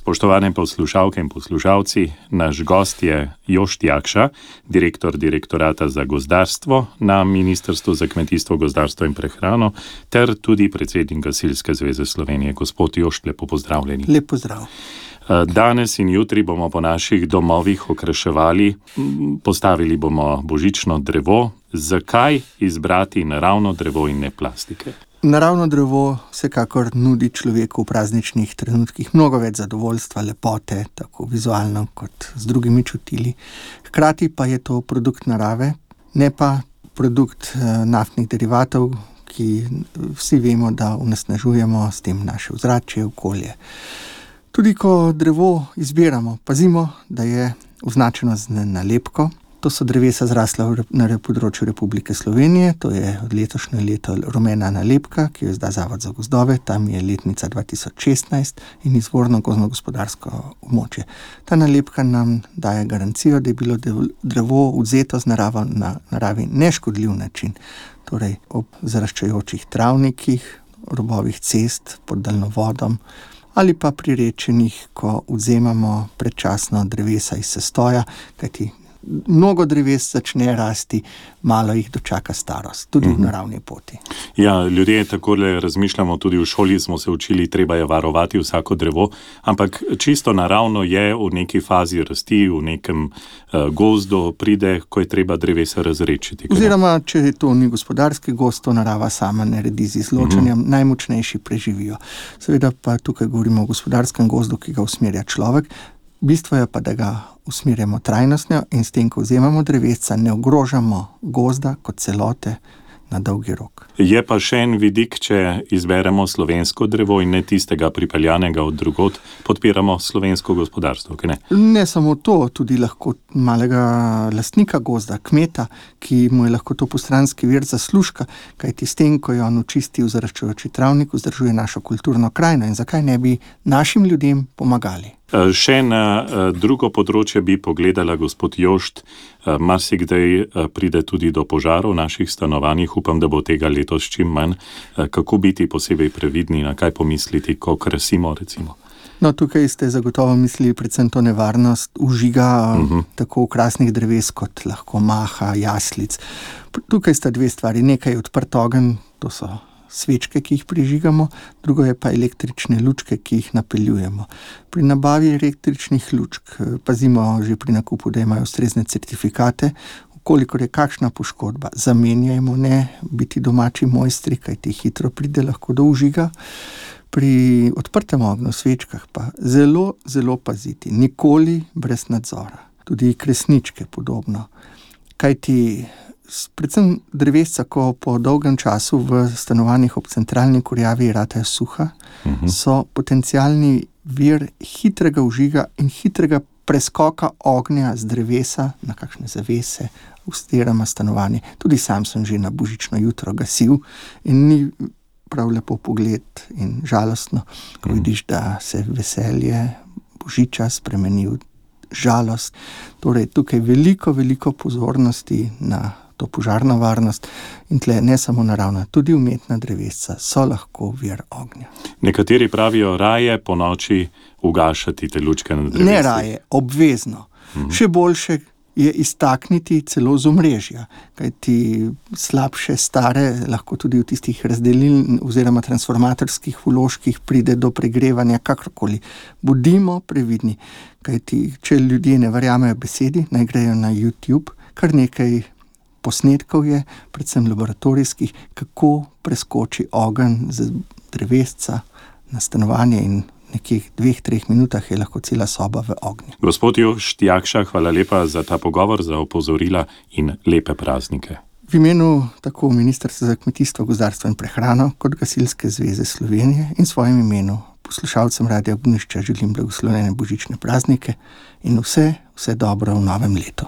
Spoštovane poslušalke in poslušalci, naš gost je Jošt Jakša, direktor Direktorata za gozdarstvo na Ministrstvu za kmetijstvo, gozdarstvo in prehrano, ter tudi predsednik Gasilske zveze Slovenije. Gospod Jošt, lepo pozdravljeni. Lep pozdrav. Danes in jutri bomo po naših domovih okraševali, postavili bomo božično drevo. Zakaj izbrati naravno drevo in ne plastike? Naravno drevo vsekakor nudi človeku v prazničnih trenutkih mnogo več zadovoljstva, lepote, tako vizualno kot z drugimi čutili. Hkrati pa je to produkt narave, ne pa produkt naftnih derivatov, ki vsi vemo, da onesnažujemo s tem naše ozračje, okolje. Tudi ko drevo izbiramo, pazimo, da je označeno z nalepko. To so drevesa zrasla na področju Republike Slovenije, to je od letošnje leto rumena nalepka, ki jo izda Zavod za gozdove, tam je letnica 2016 in izvorno gozdno-gospodarsko območje. Ta nalepka nam daje garancijo, da je bilo drevo vzeto z na naravi neškodljiv način, torej ob zaraščajočih travnikih, robovih cest, pod daljnovodom, ali pa pri rečenih, ko vzemamo predčasno drevesa iz sestoja, kajti mnogo dreves začne rasti, malo jih dočaka starost, tudi v naravni poti. Ja, ljudje takole razmišljamo, tudi v šoli smo se učili, treba je varovati vsako drevo, ampak čisto naravno je v neki fazi rasti, v nekem gozdu pride, ko je treba drevesa razrečiti. Oziroma, če to ni gospodarski gozd, to narava sama naredi z izločanjem, najmočnejši preživijo. Seveda pa tukaj govorimo o gospodarskem gozdu, ki ga usmerja človek. Bistvo je pa, da ga usmerjamo trajnostno in s tem, ko vzemamo drevesca, ne ogrožamo gozda kot celote na dolgi rok. Je pa še en vidik, če izberemo slovensko drevo in ne tistega pripeljanega od drugod, podpiramo slovensko gospodarstvo, kaj ne? Ne samo to, tudi lahko malega lastnika gozda, kmeta, ki mu je lahko to postranski vir zaslužka, kajti s tem, ko je on očistil zaraščajoči travnik, vzdržuje našo kulturno krajino in zakaj ne bi našim ljudem pomagali. Še na drugo področje bi pogledala, gospod Jošt, marsikdaj pride tudi do požarov v naših stanovanjih, upam, da bo tega letos čim manj. Kako biti posebej previdni, na kaj pomisliti, ko krasimo, recimo? No, tukaj ste zagotovo mislili predvsem to nevarnost vžiga tako okrasnih dreves kot lahko maha, jaslic. Tukaj sta dve stvari, nekaj je odprt ogenj, to so svečke, ki jih prižigamo, drugo je pa električne lučke, ki jih napeljujemo. Pri nabavi električnih lučk pazimo že pri nakupu, da imajo ustrezne certifikate. Kolikor je kakšna poškodba, zamenjajmo, ne biti domači mojstri, kajti hitro pride lahko do vžiga. Pri odprtem ognju, svečkah pa zelo, zelo paziti, nikoli brez nadzora. Tudi kresničke podobno. Kajti predvsem drevesca, ko po dolgem času v stanovanjih ob centralni kurjavi ratajo suha, so potencialni vir hitrega vžiga in hitrega preskoka ognja z drevesa na kakšne zavese, oziroma stanovanje. Tudi sam sem že na božično jutro gasil in ni prav lepo pogled in žalostno, ko vidiš, da se veselje božiča spremeni v žalost. Torej, tukaj veliko pozornosti na to požarno varnost in tle ne samo naravna, tudi umetna drevesca so lahko vir ognja. Nekateri pravijo raje po noči ugašati te lučke na drevesih. Ne raje, obvezno. Še boljše je iztakniti celo z omrežja, kajti slabše stare lahko tudi v tistih razdelilnih oziroma transformatorskih vložkih pride do pregrevanja kakorkoli. Bodimo previdni, kajti če ljudje ne verjamejo besedi, naj grejo na YouTube, kar nekaj posnetkov je, predvsem laboratorijskih, kako preskoči ogenj z drevesca na stanovanje in nekih 2-3 minutah je lahko cela soba v ognju. Gospod Jošt Jakša, hvala lepa za ta pogovor, za opozorila in lepe praznike. V imenu tako Ministrstva za kmetijstvo, gozdarstvo in prehrano kot Gasilske zveze Slovenije in svojim imenu poslušalcem Radia Ognjišče želim blagoslovljene božične praznike in vse dobro v novem letu.